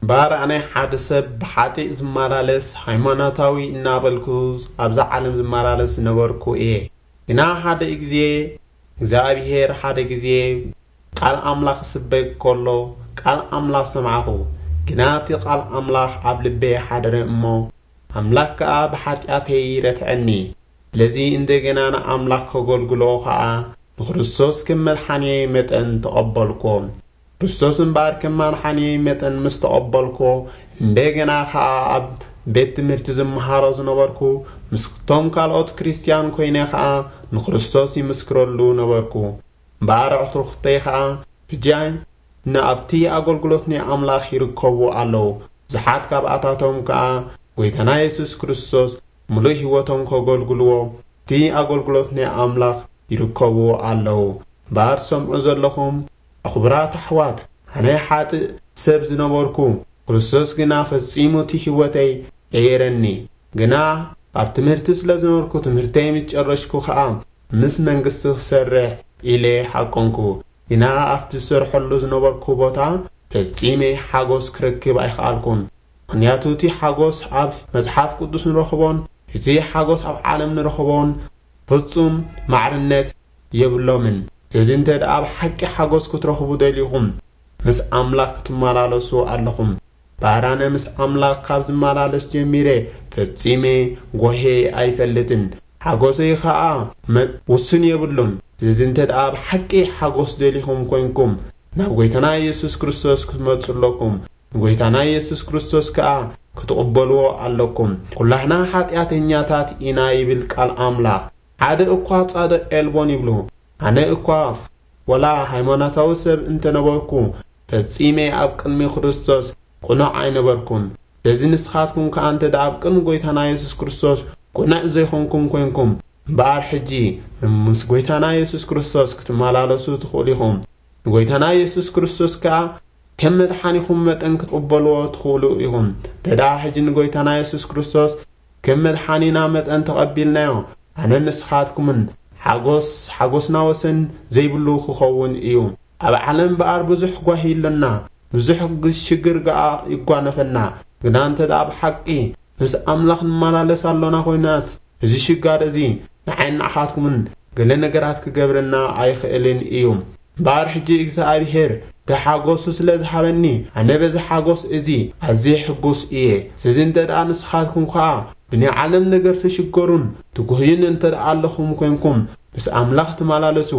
እምበኣር ኣነ ሓደ ሰብ ብሓጢእ ዝመላለስ፣ ሃይማኖታዊ እናበልኩ ኣብዛ ዓለም ዝመላለስ ዝነበርኩ እየ። ግና ሓደ ግዜ እግዚኣብሔር ሓደ ግዜ ቃል ኣምላኽ ክስበክ ከሎ ቃል ኣምላኽ ሰማዕኹ። ግና እቲ ቃል ኣምላኽ ኣብ ልበይ ሓደረ እሞ ኣምላኽ ከኣ ብሓጢኣተይ ረትዐኒ። ስለዚ እንደገና ንኣምላኽ ከገልግሎ ኸኣ ንክርስቶስ ከም መድሓንየይ መጠን ተቐበልኩዎ። ክርስቶስ እምበኣር ከም መድሓንየይ መጠን ምስ ተቐበልኩዎ፣ እንደገና ኸኣ ኣብ ቤት ትምህርቲ ዝመሃሮ ዝነበርኩ፣ ምስቶም ካልኦት ክርስትያን ኮይነ ኸኣ ንክርስቶስ ይምስክረሉ ነበርኩ። እምበኣር ኣዕሩኽተይ ኸኣ ሕጂ ንኣብቲ ኣገልግሎት ናይ ኣምላኽ ይርከቡ ኣለዉ። ብዙሓት ካብኣታቶም ከኣ ጎይታና የሱስ ክርስቶስ ምሉእ ህይወቶም ከገልግልዎ እቲ ኣገልግሎት ናይ ኣምላኽ ይርከቡ ኣለዉ። እምበኣር ትሰምዑ ዘለኹም ክቡራት ኣሕዋት፣ ኣነ ሓጥእ ሰብ ዝነበርኩ፣ ክርስቶስ ግና ፈጺሙ እቲ ህይወተይ ቀየረኒ። ግና ኣብ ትምህርቲ ስለ ዝነበርኩ፣ ትምህርተይ ምስ ጨረሽኩ ኸኣ ምስ መንግስቲ ክሰርሕ ኢለ ሓቆንኩ። ግና ኣብቲ ዝሰርሐሉ ዝነበርኩ ቦታ ፈጺመ ሓጎስ ክረክብ ኣይከኣልኩን። ምኽንያቱ እቲ ሓጎስ ኣብ መጽሓፍ ቅዱስ ንረኽቦን እቲ ሓጎስ ኣብ ዓለም ንረኽቦን ፍጹም ማዕርነት የብሎምን። ስለዚ እንተ ደኣ ብሓቂ ሓጎስ ክትረኽቡ ደሊኹም፣ ምስ ኣምላኽ ክትመላለሱ ኣለኹም። ባራነ ምስ ኣምላኽ ካብ ዝመላለስ ጀሚረ ፈጺመ ጓሄ ኣይፈልጥን። ሓጎሰይ ኸኣ መ-፣ ውሱን የብሉን። ስለዚ እንተ ደኣ ብሓቂ ሓጎስ ደሊኹም ኮይንኩም፣ ናብ ጎይታና የሱስ ክርስቶስ ክትመጹ ኣለኩም። ንጎይታና የሱስ ክርስቶስ ከኣ ክትቕበልዎ ኣለኩም። ኩላህና ሓጢኣተኛታት ኢና ይብል ቃል ኣምላኽ። ሓደ እኳ ጻድቕ የልቦን ይብሉ። ኣነ እኳ ወላ ሃይማኖታዊ ሰብ እንተነበርኩ፣ ፈጺመ ኣብ ቅድሚ ክርስቶስ ቅኑዕ ኣይነበርኩን። ስለዚ ንስኻትኩም ከኣ እንተ ደኣ ኣብ ቅድሚ ጎይታና የሱስ ክርስቶስ ቅኑዕ ዘይኮንኩም ኮይንኩም፣ እምበኣር ሕጂ ምስ ጎይታና የሱስ ክርስቶስ ክትመላለሱ ትኽእሉ ኢኹም። ንጎይታና የሱስ ክርስቶስ ከኣ ከም መድሓኒኹም መጠን ክትቕበልዎ ትኽእሉ ኢኹም። እንተ ደኣ ሕጂ ንጎይታና የሱስ ክርስቶስ ከም መድሓኒና መጠን ተቐቢልናዮ፣ ኣነን ንስኻትኩምን ሓጎስ፣ ሓጎስና ወሰን ዘይብሉ ክኸውን እዩ። ኣብ ዓለም እምበኣር ብዙሕ ጓሂ ኣሎና፣ ብዙሕ ግ-፣ ሽግር ገኣ ይጓነፈና። ግና እንተ ደኣ ብሓቂ ምስ ኣምላኽ ንመላለስ ኣሎና ኮይናስ፣ እዚ ሽጋር እዚ ንዓይን ንዓኻትኩምን ገለ ነገራት ክገብረና ኣይኽእልን እዩ። እምበኣር ሕጂ እግዚኣብሄር እቲ ሓጎሱ ስለ ዝሃበኒ፣ ኣነ በዚ ሓጎስ እዚ ኣዝየ ሕጉስ እየ። ስለዚ እንተ ደኣ ንስኻትኩም ከኣ ብናይ ዓለም ነገር ትሽገሩን ትጉህዩን እንተ ደኣ ኣለኹም ኮይንኩም፣ ምስ ኣምላኽ ተመላለሱ፣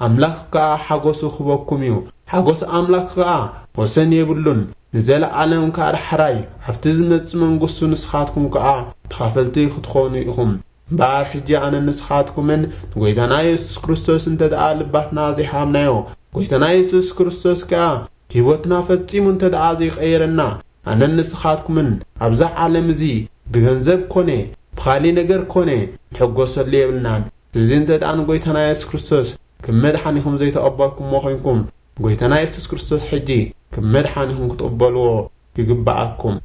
ኣምላኽ ከኣ ሓጎሱ ክህበኩም እዩ። ሓጎስ ኣምላኽ ከኣ ወሰን የብሉን። ንዘለኣለም ከኣ ዳሕራይ ኣብቲ ዝመጽእ መንግስቱ ንስኻትኩም ከኣ ተኻፈልቲ ክትኾኑ ኢኹም። እምበኣር ሕጂ ኣነን ንስኻትኩምን ንጎይታና የሱስ ክርስቶስ እንተ ደኣ ልባትና ዘይሃብናዮ፣ ጎይታና የሱስ ክርስቶስ ከኣ ህይወትና ፈጺሙ እንተ ደኣ ዘይቀየረና፣ ኣነን ንስኻትኩምን ኣብዛ ዓለም እዚ ብገንዘብ ኮነ ብኻልእ ነገር ኮነ ንሕጎሰሉ የብልናን። ስለዚ እንተ ደኣ ንጎይታና የሱስ ክርስቶስ ከም መድሓኒኹም ዘይተቐበልኩሞ ኮይንኩም፣ ጎይታና የሱስ ክርስቶስ ሕጂ ከም መድሓኒኹም ክትቕበልዎ ይግብኣኩም።